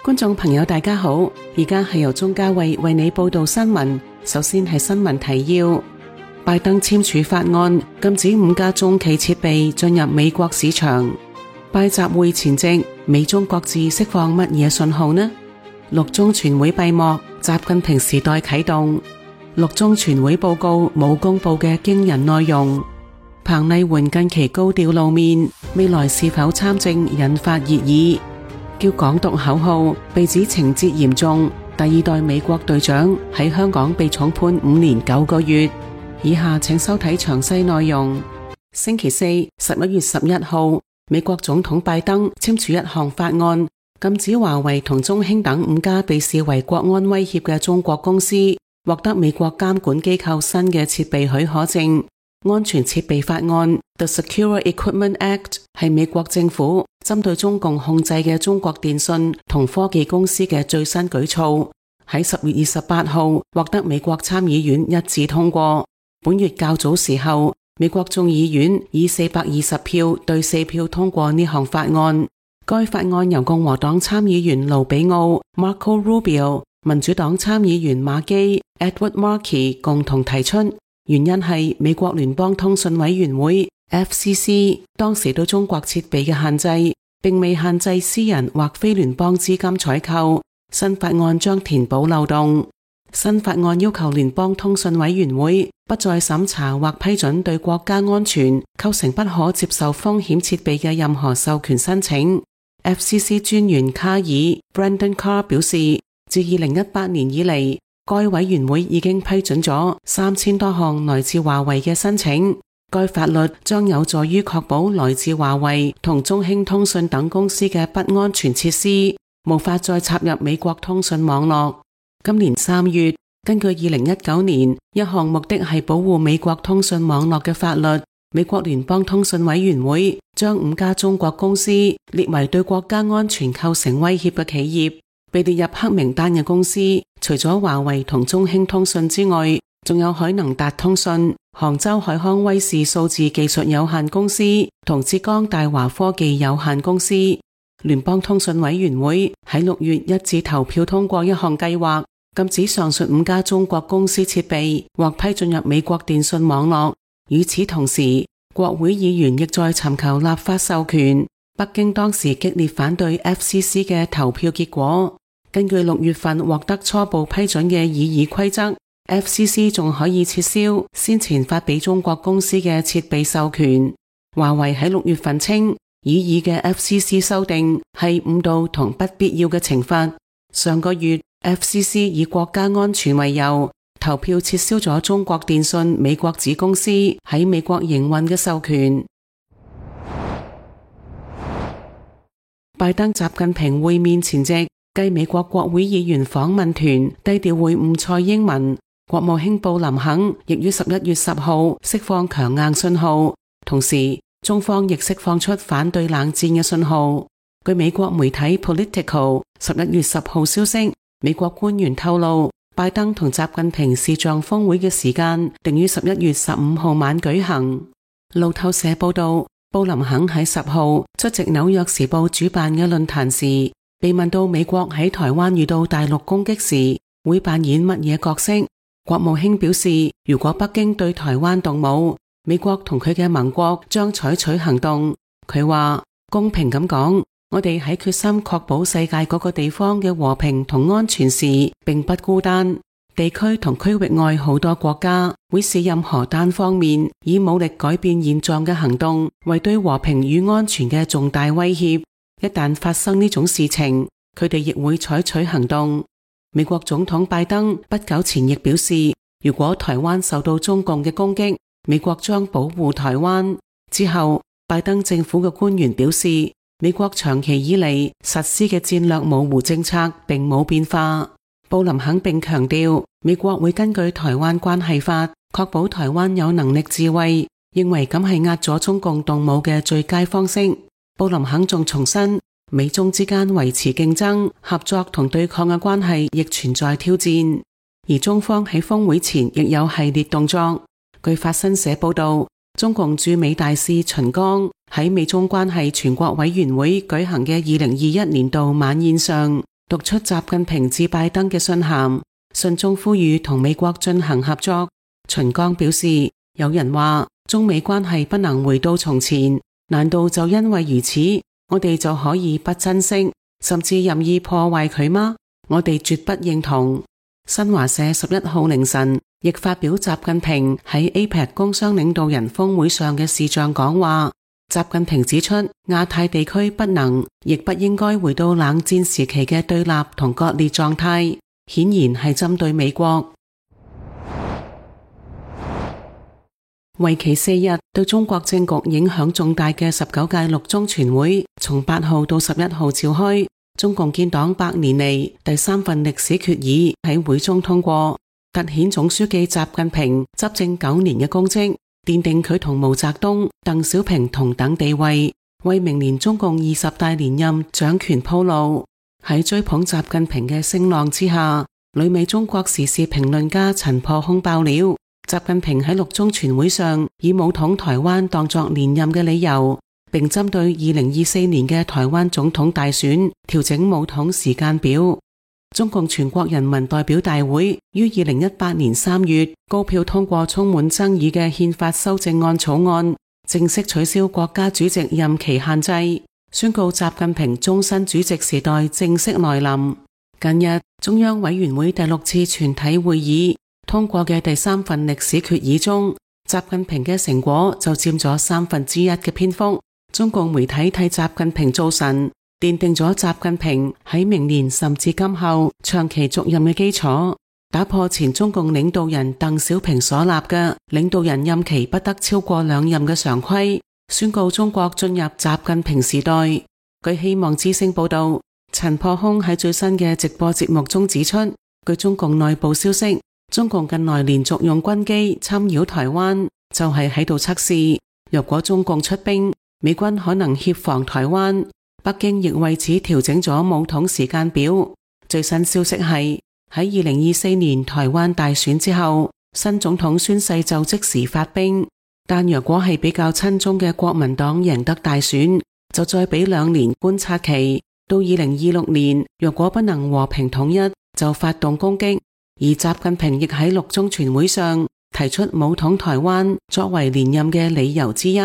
觀眾朋友大家好，而家係由鍾嘉慧為你報道新聞。首先係新聞提要：拜登簽署法案，禁止5家中企設備進入美國市場。拜習會前夕，美中各自釋放乜嘢信號呢？6中全會閉幕，習近平時代啟動。6中全會報告冇公布嘅驚人內容。彭麗媛近期高調露面，未來是否參政引發熱議。叫港獨口號被指情節嚴重，第2代美國隊長喺香港被重判5年9個月。以下請收睇詳細內容。星期四11月11號，美國總統拜登簽署一項法案，禁止華為同中興等5家被視為國安威脅嘅中國公司獲得美國監管機構新嘅設備許可證。安全設備法案 The Secure Equipment Act 係美國政府針對中共控制嘅中國電信同科技公司嘅最新舉措，喺10月28號獲得美國參議院一致通過。本月較早時候，美國眾議院以420票對4票通過呢項法案。該法案由共和黨參議員盧比奧 Marco Rubio、民主黨參議員馬基 Edward Markey 共同提出。原因係美國聯邦通訊委員會 FCC 當時對中國設備嘅限制，並未限制私人或非聯邦資金採購。新法案將填補漏洞。新法案要求聯邦通訊委員會不再審查或批准對國家安全構成不可接受風險設備嘅任何授權申請。FCC 專員卡爾 Brendan Carr 表示，自2018年以嚟，該委員會已經批准咗3000多項來自華為嘅申請。該法律將有助於確保來自華為同中興通訊等公司嘅不安全設施無法再插入美國通訊網絡。今年3月，根據2019年一項目的係保護美國通訊網絡嘅法律，美國聯邦通訊委員會將5家中國公司列為對國家安全構成威脅嘅企業。被列入黑名單嘅公司，除咗華為同中興通訊之外，仲有海能達通訊、杭州海康威視數字技術有限公司同浙江大華科技有限公司。聯邦通訊委員會喺6月一致投票通過一項計劃，禁止上述5家中國公司設備或批進入美國電信網絡。與此同時，國會議員亦在尋求立法授權。北京當時激烈反對 FCC 嘅投票結果。根據6月份獲得初步批准嘅議規則， FCC 仲可以撤銷先前發俾中國公司嘅設備授權。華為喺6月份稱，議嘅 FCC 修訂係誤導同不必要嘅懲罰。上個月 FCC 以國家安全為由，投票撤銷咗中國電信美國子公司喺美國營運嘅授權。拜登習近平會面前夕，繼美國國會議員訪問團低調會晤蔡英文，國務卿布林肯亦於11月10號釋放強硬信號，同時中方亦釋放出反對冷戰嘅信號。據美國媒體 Politico 11月10號消息，美國官員透露，拜登同習近平視像峰會嘅時間定於11月15號晚舉行。路透社報道，布林肯喺10號出席紐約時報主辦嘅論壇時，被問到美國喺台灣遇到大陸攻擊時會扮演乜嘢角色，國務卿表示，如果北京對台灣動武，美國同佢嘅盟國將採取行動。佢話，公平咁講，我哋喺決心確保世界各個地方嘅和平同安全時並不孤單。地區同區域外好多國家會視任何單方面以武力改變現狀嘅行動為對和平與安全嘅重大威脅。一旦發生呢種事情，佢哋亦會採取行動。美國總統拜登不久前亦表示，如果台灣受到中共嘅攻擊，美國將保護台灣。之後，拜登政府嘅官員表示，美國長期以嚟實施嘅戰略模糊政策並冇變化。布林肯並強調，美國會根據台灣關係法確保台灣有能力自衛，認為咁係壓咗中共動武嘅最佳方式。布林肯仲重申，美中之間維持競爭、合作同對抗嘅關係亦存在挑戰，而中方喺峰會前亦有系列動作。據法新社報道，中共駐美大使秦剛喺美中關係全國委員會舉行嘅2021年度晚宴上，讀出習近平致拜登嘅信函，信中呼籲同美國進行合作。秦剛表示，有人話中美關係不能回到從前，難道就因為如此，我哋就可以不珍惜，甚至任意破壞佢嗎？我哋絕不認同。新華社11號凌晨亦發表習近平喺 APEC 工商領導人峰會上嘅視像講話。習近平指出，亞太地區不能亦不應該回到冷戰時期嘅對立同割裂狀態，顯然係針對美國。為期4日，對中國政局影響重大嘅19屆六中全會從8號到11號召開。中共建黨100年嚟第3份歷史決議喺會中通過，凸顯總書記習近平執政9年嘅功績，奠定佢同毛澤東、鄧小平同等地位，為明年中共20大連任掌權鋪路。喺追捧習近平嘅聲浪之下，旅美中國時事評論家陳破空爆料，習近平喺六中全會上以武統台灣當作連任嘅理由，並針對2024年嘅台灣總統大選調整武統時間表。中共全國人民代表大會於2018年3月高票通過充滿爭議嘅憲法修正案草案，正式取消國家主席任期限制，宣告習近平終身主席時代正式來臨。近日，中央委員會第6次全體會議通過嘅第3份歷史決議中，習近平嘅成果就佔咗1/3嘅篇幅。中共媒體替習近平造神，奠定咗習近平喺明年甚至今後長期續任嘅基礎，打破前中共領導人鄧小平所立嘅領導人任期不得超過2任嘅常規，宣告中國進入習近平時代。據希望之聲報道，陳破空喺最新嘅直播節目中指出，據中共內部消息，中共近來連續用軍機侵擾台灣，就係喺度測試，若果中共出兵，美軍可能協防台灣。北京亦為此調整咗武統時間表。最新消息係喺2024年台灣大選之後，新總統宣誓就職時發兵，但若果係比較親中嘅國民黨贏得大選，就再俾2年觀察期，到2026年若果不能和平統一，就發動攻擊。而習近平亦喺六中全會上提出武統台灣作為連任嘅理由之一。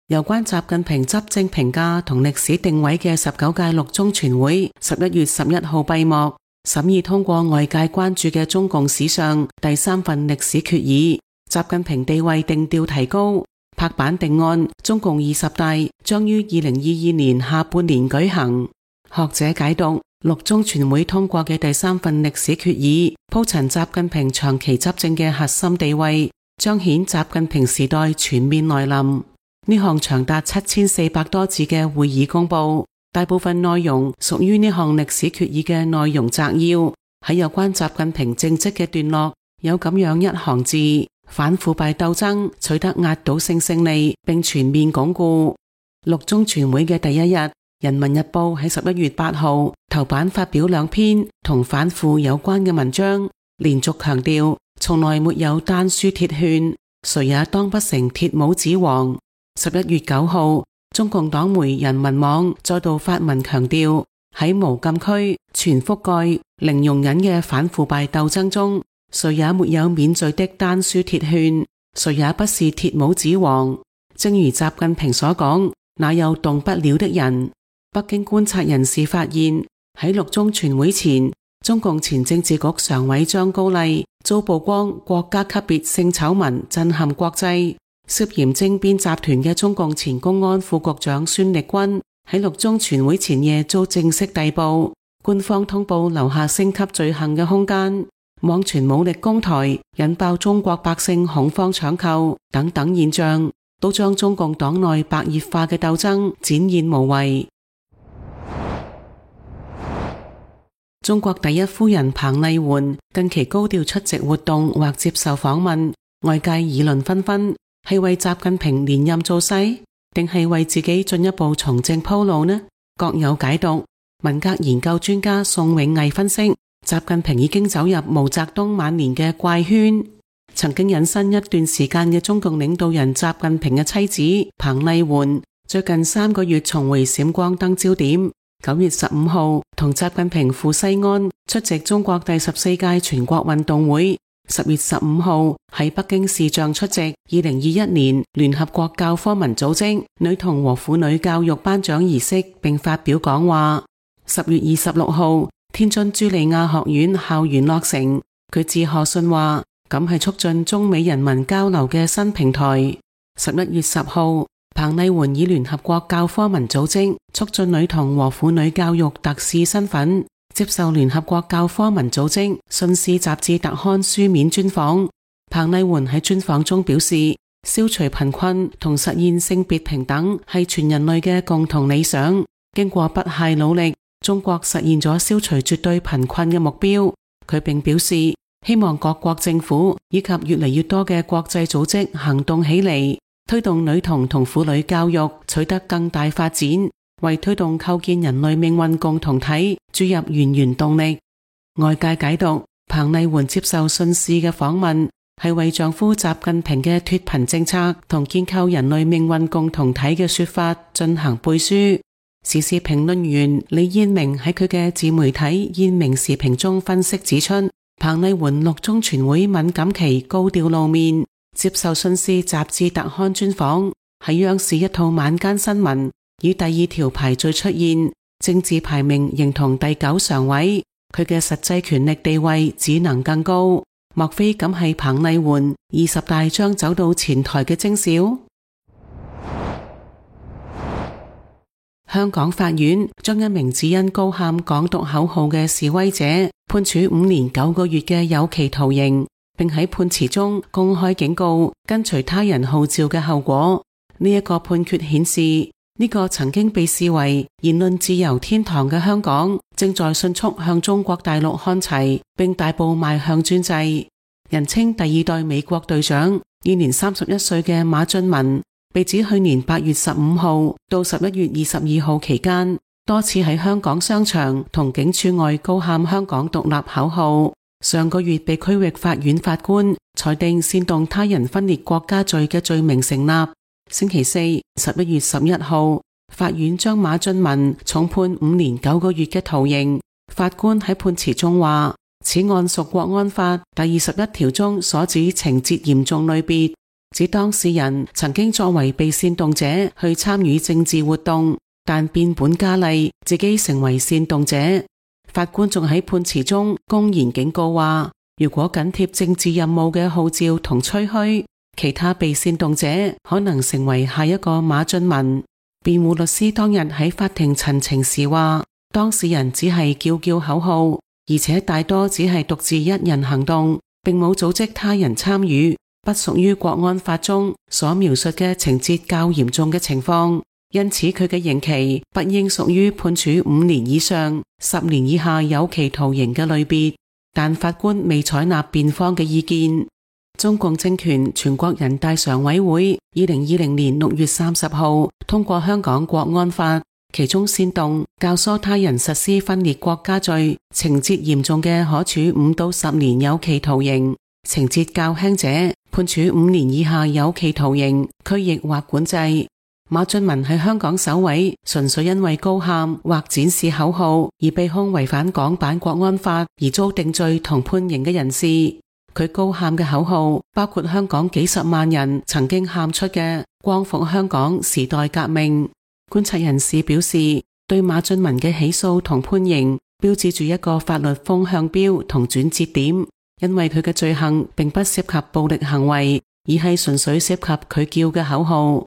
有關習近平執政評價同歷史定位嘅19屆六中全會11月11號閉幕，審議通過外界關注嘅中共史上第3份歷史決議，習近平地位定調提高，拍板定案，中共20大將於2022年下半年舉行。學者解讀，六中全會通過嘅第3份歷史決議，鋪陳習近平長期執政嘅核心地位，彰顯習近平時代全面來臨。呢項長達7400多字嘅會議公報，大部分內容屬於呢項歷史決議嘅內容摘要。喺有關習近平政績嘅段落，有咁樣一行字：反腐敗鬥爭取得壓倒性勝利，並全面鞏固。六中全會嘅第一日，人民日報喺11月8號頭版發表2篇同反腐有關嘅文章，連續強調從來沒有丹書鐵券，誰也當不成鐵帽子王。11月9號，中共黨媒人民網再度發文強調，喺無禁區、全覆蓋、零容忍嘅反腐敗鬥爭中，誰也沒有免罪的丹書鐵券，誰也不是鐵帽子王。正如習近平所講，哪有動不了的人？北京觀察人士發現，喺六中全會前，中共前政治局常委張高麗遭曝光國家級別性醜聞震撼國際。涉嫌政變集團嘅中共前公安副局長孫力軍喺六中全會前夜遭正式逮捕，官方通報留下升級罪行嘅空間，網傳武力攻台，引爆中國百姓恐慌搶購等等現象，都將中共黨內白熱化嘅鬥爭展現無遺。中國第一夫人彭麗媛近期高調出席活動或接受訪問，外界議論紛紛。係為習近平連任造勢，定係為自己進一步從政鋪路呢？各有解讀。文革研究專家宋永毅分析，習近平已經走入毛澤東晚年嘅怪圈。曾經隱身一段時間嘅中共領導人習近平嘅妻子彭麗媛，最近3個月重回閃光燈焦點。9月15號同習近平赴西安出席中國第14屆全國運動會。10月15號喺北京視像出席2021年聯合國教科文組織女童和婦女教育頒獎儀式並發表講話。10月26號天津茱莉亞學院校園落成，佢致賀信話咁係促進中美人民交流嘅新平台。11月10號彭麗媛以聯合國教科文組織促進女童和婦女教育特使身份接受聯合國教科文組織信使雜誌特刊書面專訪。彭麗媛喺專訪中表示，消除貧困同實現性別平等係全人類嘅共同理想。經過不懈努力，中國實現咗消除絕對貧困嘅目標。佢並表示，希望各國政府以及越嚟越多嘅國際組織行動起嚟，推動女童同婦女教育取得更大發展，為推動構建人類命運共同體注入源源動力。外界解讀彭麗媛接受信使嘅訪問係為丈夫習近平嘅脫貧政策同建構人類命運共同體嘅說法進行背書。時事評論員李燕明喺佢嘅自媒體燕明時評中分析指出，彭麗媛六中全會敏感期高調露面，接受信使雜誌特刊專訪，喺央視一套晚間新聞以第2條排序出現，政治排名仍同第9常委，佢嘅實際權力地位只能更高。莫非咁係彭麗媛20大將走到前台嘅徵兆？香港法院將一名只因高喊港獨口號嘅示威者判處5年9個月嘅有期徒刑，並喺判詞中公開警告跟隨他人號召嘅後果。呢個判決顯示，呢個曾經被視為言論自由天堂嘅香港，正在迅速向中國大陸看齊，並大步邁向專制。人稱第2代美國隊長，現年31歲嘅馬俊文，被指去年8月15號到11月22號期間，多次喺香港商場同警署外高喊香港獨立口號。上個月被區域法院法官裁定煽動他人分裂國家罪嘅罪名成立。星期四11月11號，法院將馬俊文重判5年9個月嘅徒刑。法官喺判詞中話，此案屬國安法第21條中所指情節嚴重類別，指當事人曾經作為被煽動者去參與政治活動，但變本加厲，自己成為煽動者。法官仲喺判詞中公然警告話，如果緊貼政治任務嘅號召同吹噓，其他被煽動者可能成為下一個馬俊文。辯護律師當日喺法庭陳情時話，當事人只係叫口號，而且大多只係獨自一人行動，並冇組織他人參與，不屬於國安法中所描述嘅情節較嚴重嘅情況。因此佢嘅刑期不應屬於判處5年以上10年以下有期徒刑嘅類別，但法官未採納辯方嘅意見。中共政權全國人大常委會2020年6月30號通過香港國安法，其中煽動、教唆他人實施分裂國家罪，情節嚴重嘅可處5到10年有期徒刑，情節較輕者判處5年以下有期徒刑、拘役或管制。馬俊文係香港首位純粹因為高喊或展示口號而被控違反港版國安法而遭定罪同判刑嘅人士。佢高喊嘅口號包括香港幾十萬人曾經喊出嘅光復香港、時代革命。觀察人士表示，對馬俊文嘅起訴同判刑標誌住一個法律風向標同轉折點，因為佢嘅罪行並不涉及暴力行為，而係純粹涉及佢叫嘅口號。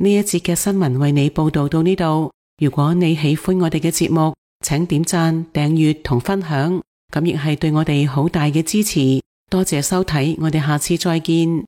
呢一節嘅新聞為你報道到呢度。如果你喜歡我哋嘅節目，請點讚、訂閱同分享，咁亦係對我哋好大嘅支持。多謝收睇，我哋下次再見。